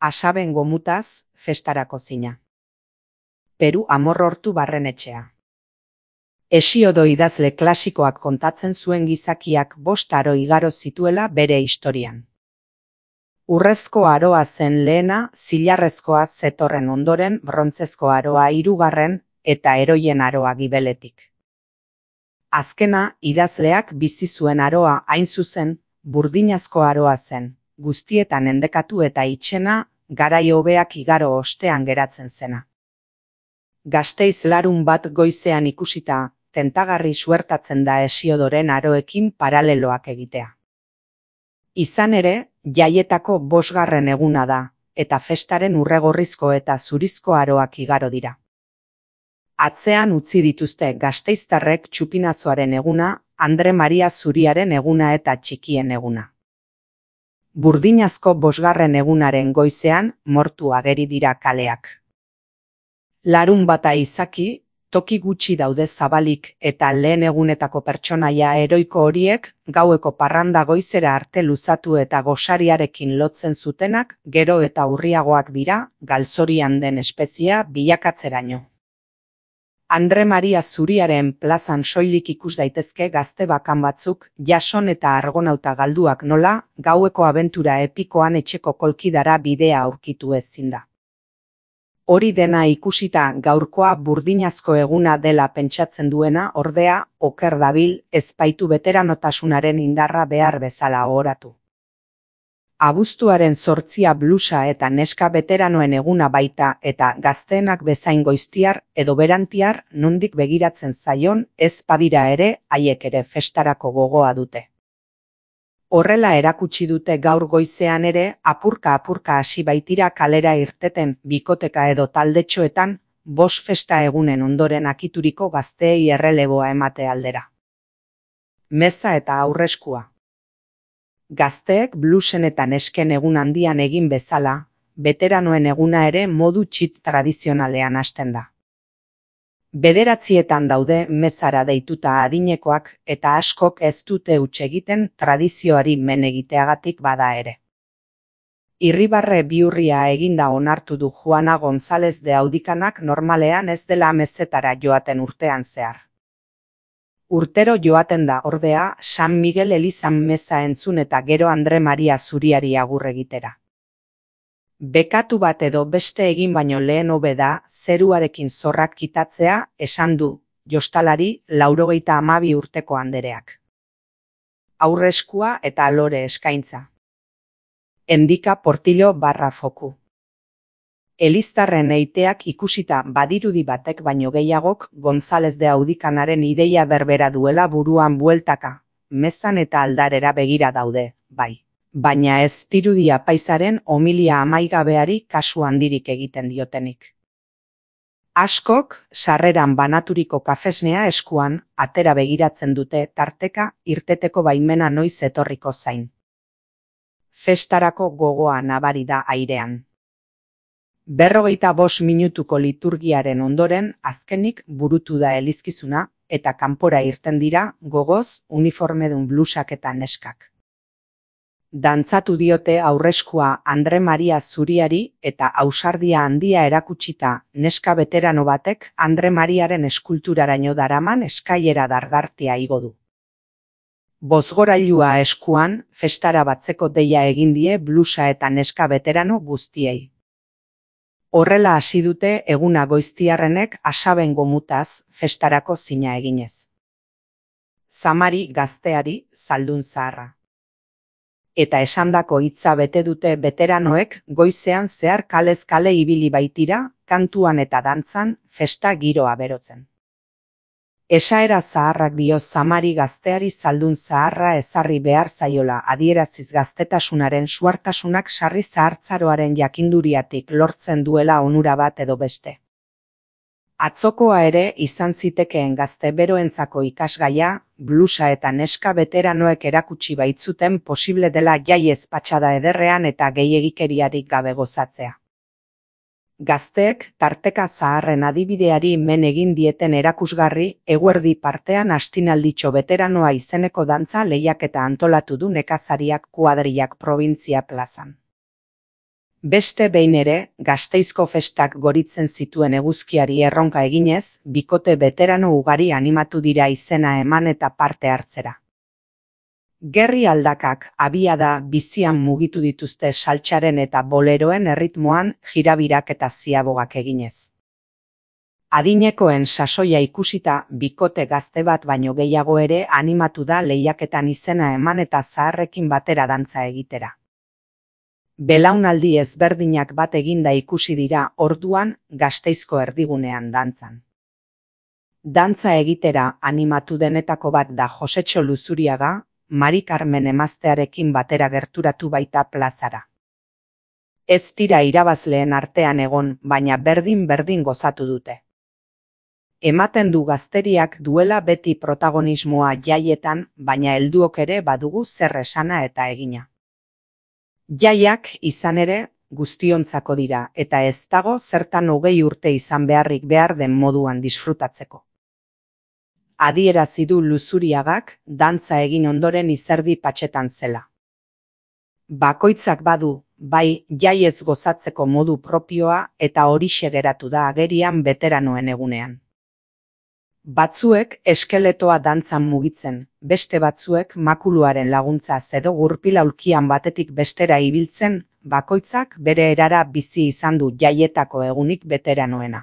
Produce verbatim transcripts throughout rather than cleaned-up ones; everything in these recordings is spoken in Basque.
Asaben gomutaz, festarako zina. Peru Amorortu Barrenetxea. Hesiodo idazle klasikoak kontatzen zuen gizakiak bost aro igaro zituela bere historian. Urrezko aroa zen lehena, zilarrezkoa zetorren ondoren, brontzezko aroa hirugarren eta heroien aroa gibeletik. Azkena, idazleak bizi zuen aroa hain zuzen, burdinazko aroa zen, guztietan endekatu eta itxena, garai hobeak igaro ostean geratzen zena. Gasteiz larun bat goizean ikusita, tentagarri suertatzen da Hesiodoren aroekin paraleloak egitea. Izan ere, jaietako bosgarren eguna da, eta festaren urregorrizko eta zurizko aroak igaro dira. Atzean utzi dituzte gasteiztarrek txupinazoaren eguna, Andre Maria Zuriaren eguna eta txikien eguna. Burdinazko bosgarren egunaren goizean, mortu ageri dira kaleak. Larun bata izaki, toki gutxi daude zabalik eta lehen egunetako pertsonaia heroiko horiek, gaueko parranda goizera arte luzatu eta gosariarekin lotzen zutenak, gero eta urriagoak dira, galzorian den espeziea bilakatzeraino. Andre Maria Zuriaren plazan soilik ikus daitezke gazte bakan batzuk, jason eta argonauta galduak nola, gaueko abentura epikoan etxeko kolkidara bidea aurkitu ezin da. Hori dena ikusita gaurkoa burdinazko eguna dela pentsatzen duena, ordea, oker dabil, ezpaitu beteranotasunaren indarra behar bezala ohoratu. Abuztuaren zortzia blusa eta neska beteranoen eguna baita eta gazteenak bezain goiztiar edo berantiar nondik begiratzen zaion ez badira ere haiek ere festarako gogoa dute. Horrela erakutsi dute gaur goizean ere apurka-apurka hasi baitira kalera irteten bikoteka edo taldetxoetan bos festa egunen ondoren akituriko gazteei erreleboa emate aldera. Meza eta aurreskua. Gazteek blusen eta nesken egun handian egin bezala, beteranoen eguna ere modu txit tradizionalean hasten da. Bederatzietan daude mezara deituta adinekoak eta askok ez dute huts egiten tradizioari men egiteagatik bada ere. Irribarre bihurria eginda onartu du Juana González de Audikanak normalean ez dela mezetara joaten urtean zehar. Urtero joaten da ordea San Miguel elizan meza entzun eta gero Andre Maria Zuriari agur egitera. Bekatu bat edo beste egin baino lehen hobe da zeruarekin zorrak kitatzea, esan du, jostalari laurogeita hamabi urteko andereak. Aurreskua eta alore eskaintza. Endika Portillo barra foku. Eliztarren eiteak ikusita badirudi batek baino gehiagok González de Audikanaren ideia berbera duela buruan bueltaka, mezan eta aldarera begira daude, bai. Baina ez dirudi apaizaren homilia amaigabeari kasu handirik egiten diotenik. Askok, sarreran banaturiko kafesnea eskuan, atera begiratzen dute tarteka irteteko baimena noiz etorriko zain. Festarako gogoa nabari da airean. Berrogeita bost minutuko liturgiaren ondoren azkenik burutu da elizkizuna eta kanpora irten dira gogoz uniformedun blusak eta neskak. Dantzatu diote aurreskua Andre Maria Zuriari eta ausardia handia erakutsita neska beterano batek Andre Mariaren eskulturaraino daraman eskaiera dardartia igo du. Bozgorailua eskuan festara batzeko deia egin die blusa eta neska beterano guztiei. Horrela hasi dute eguna goiztiarrenek asaben gomutaz festarako zina eginez. Zamari gazteari zaldun zaharra. Eta esandako hitza bete dute beteranoek goizean zehar kalez kale ibili baitira, kantuan eta dantzan festa giroa berotzen. Esaera zaharrak dio zamari gazteari zaldun zaharra ezarri behar zaiola adieraziz gaztetasunaren suartasunak sarri zahartzaroaren jakinduriatik lortzen duela onura bat edo beste. Atzokoa ere izan zitekeen gazte beroentzako ikasgaia, blusa eta neska beteranoek erakutsi baitzuten posible dela jaiez patxada ederrean eta gehiegikeriarik gabe gozatzea. Gazteek tarteka zaharren adibideari men egin dieten erakusgarri eguerdi partean astinalditxo beteranoa izeneko dantza lehiaketa antolatu du nekazariak kuadrillak probintzia plazan. Beste behin ere, Gasteizko festak goritzen zituen eguzkiari erronka eginez, bikote beterano ugari animatu dira izena eman eta parte hartzera. Gerri aldakak abiada bizian mugitu dituzte saltsaren eta boleroen erritmoan jirabirak eta ziabogak eginez. Adinekoen sasoia ikusita, bikote gazte bat baino gehiago ere animatu da lehiaketan izena eman eta zaharrekin batera dantza egitera. Belaunaldi ezberdinak bat eginda ikusi dira orduan Gasteizko erdigunean dantzan. Dantza egitera animatu denetako bat da Josetxo Luzuriaga, Mari Carmen emaztearekin batera gerturatu baita plazara. Ez dira irabazleen artean egon, baina berdin-berdin gozatu dute. Ematen du gazteriak duela beti protagonismoa jaietan, baina helduok ere badugu zer esana eta egina. Jaiak, izan ere, guztiontzako dira, eta ez dago zertan hogei urte izan beharrik behar den moduan disfrutatzeko. Adierazi du Luzuriagak, dantza egin ondoren izerdi patxetan zela. Bakoitzak badu, bai jaiez gozatzeko modu propioa eta horixe geratu da agerian beteranoen egunean. Batzuek eskeletoa dantzan mugitzen, beste batzuek makuluaren laguntzaz edo gurpil aulkian batetik bestera ibiltzen, bakoitzak bere erara bizi izan du jaietako egunik beteranoena.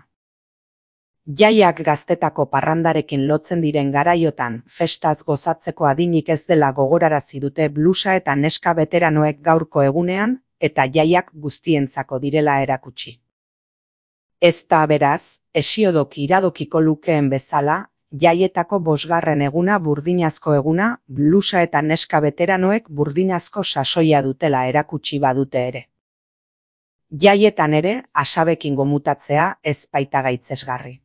Jaiak gaztetako parrandarekin lotzen diren garaiotan, festaz gozatzeko adinik ez dela gogorarazi dute blusa eta neska beteranoek gaurko egunean, eta jaiak guztientzako direla erakutsi. Ez da beraz, Hesiodok iradokiko lukeen bezala, jaietako bosgarren eguna burdinazko eguna, blusa eta neska beteranoek burdinazko sasoia dutela erakutsi badute ere. Jaietan ere, asabekin gomutatzea ez baita gaitzesgarri.